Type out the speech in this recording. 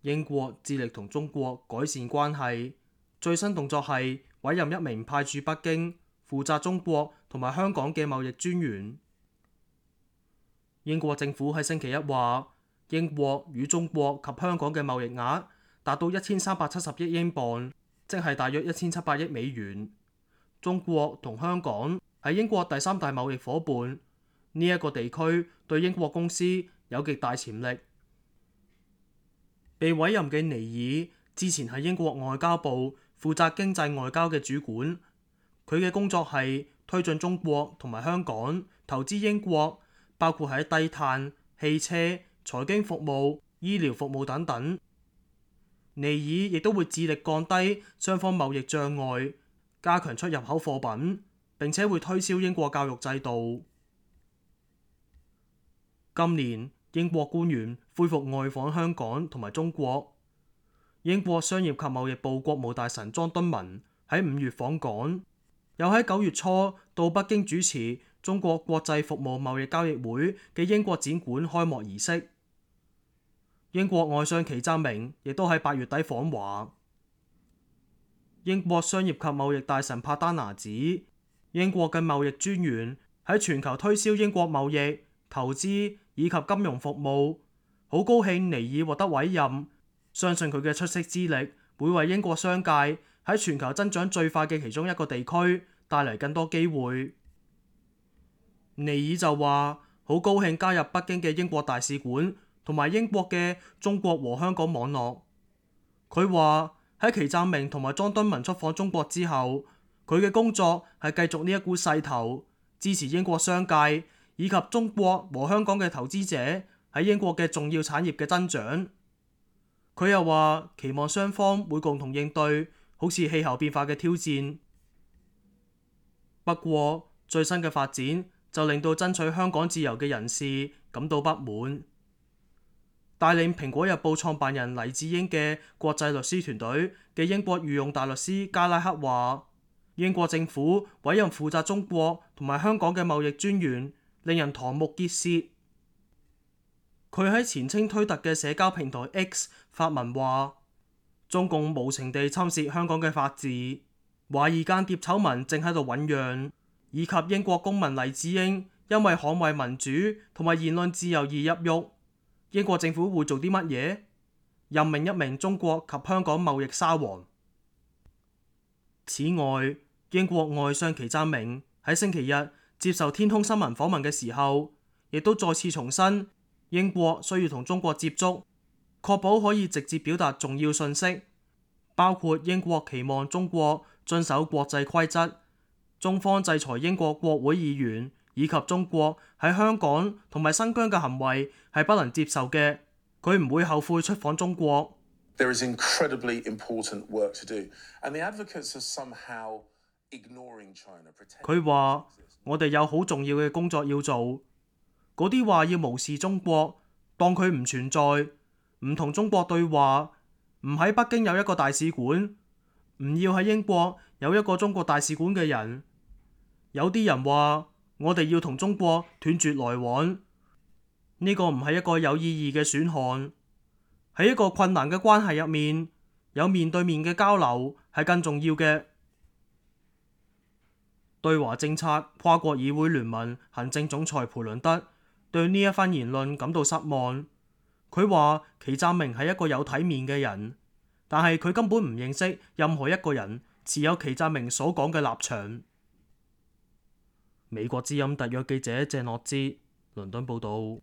英國致力同中國改善關係，最新動作係委任一名派駐北京、負責中國同埋香港嘅貿易專員。英國政府喺星期一話，英國與中國及香港嘅貿易額達到1370億英鎊，即係大約1700億美元。中國同香港係英國第三大貿易夥伴，呢一個地區對英國公司有極大潛力。被委任嘅尼爾之前係英國外交部負責經濟外交嘅主管，佢嘅工作係推進中國同埋香港投資英國，包括喺低碳、汽車、財經服務、醫療服務等等。尼爾亦都會致力降低雙方貿易障礙，加強出入口貨品，並且會推銷英國教育制度。今年英國官員恢復外訪香港同埋中國。英國商業及貿易部國務大臣莊敦文喺5月訪港，又喺9月初到北京主持中國國際服務貿易交易會嘅英國展館開幕儀式。英國外相祁湛明亦都喺8月底訪華。英國商業及貿易大臣帕丹拿指，英國嘅貿易專員喺全球推銷英國貿易、投資以及金融服務，好高興尼爾獲得委任，相信佢嘅出色資歷會為英國商界喺全球增長最快嘅其中一個地區帶嚟更多機會。尼爾就話好高興加入北京嘅英國大使館同埋英國嘅中國和香港網絡。佢話喺祁湛明同埋莊敦文出訪中國之後，佢嘅工作係繼續呢一股勢頭，支持英國商界以及中國和香港嘅投資者喺英國嘅重要產業嘅增長。佢又話期望雙方會共同應對好似氣候變化嘅挑戰。不過最新嘅發展就令到爭取香港自由嘅人士感到不滿。帶領蘋果日報創辦人黎智英嘅國際律師團隊嘅英國御用大律師加拉克話，英國政府委任負責中國同埋香港嘅貿易專員，令人瞠目結舌。佢喺前稱推特嘅社交平台 X 發文話，中共無情地侵蝕香港嘅法治，懷疑間諜醜聞正喺度醞釀，以及英國公民黎智英因為捍衛民主同埋言論自由而入獄。英國政府會做啲乜嘢？任命一名中國及香港貿易沙皇。此外，英國外相祁湛明喺星期日接受天空新聞訪問嘅時候，亦都再次重申英國需要同中國接觸，確保可以直接表達重要訊息，包括英國期望中國遵守國際規則，中方制裁英國國會議員以及中國喺香港同埋新疆嘅行為係不能接受嘅，佢唔會後悔出訪中國。There is incredibly important work to do, and the advocates are somehow ignoring China. 佢話：我哋有好重要嘅工作要做，嗰啲話要無視中國，當佢唔存在，唔同中國對話，唔喺北京有一個大使館，唔要喺英國有一個中國大使館嘅人。有啲人話我哋要同中國斷絕來往，呢個唔係一個有意義嘅選項。喺一個困難嘅關係入面，有面對面嘅交流係更重要嘅。對華政策跨國議會聯盟行政總裁培倫德對呢一番言論感到失望。佢話祁湛明係一個有體面嘅人，但係佢根本唔認識任何一個人持有祁湛明所講嘅立場。美國之音特約記者鄭樂之倫敦報道。